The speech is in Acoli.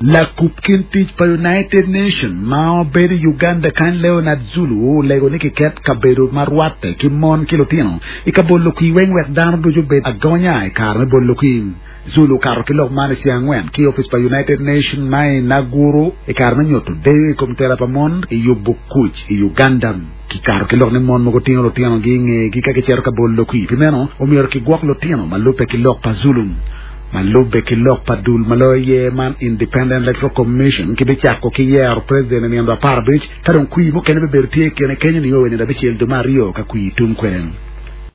Lakub kin tic pa United Nation ma obedo i Uganda kany Leonard Zulu olego ni kiket kabedo ma rwatte ki mon ki lutino i ka bolo kwir weng wek dano ducu obed agonya i kare me bolo kwir. Zulu okato ki lok man i ceng angwen ki i opic pa United Nation ma i Naguru i kare me nyuto deyo i kom tela pa mon i yubo kuc i Uganda. Kikato ki lok ni mon mogo tingo lutinogi i ngegi ka gicito ka bolo kwir, pi meno omyero kigwok lutino ma lubbe ki lok pa Zulu. Ma lubbe ki lok pa dul ma loyo yer man Independent Electoral Commission kibicako ki yero president i nino 15 ka dong kwir mukene bibedo tye i kine kenyo nio wa i nino abicel dwe me aryo ka kwir tum kwede.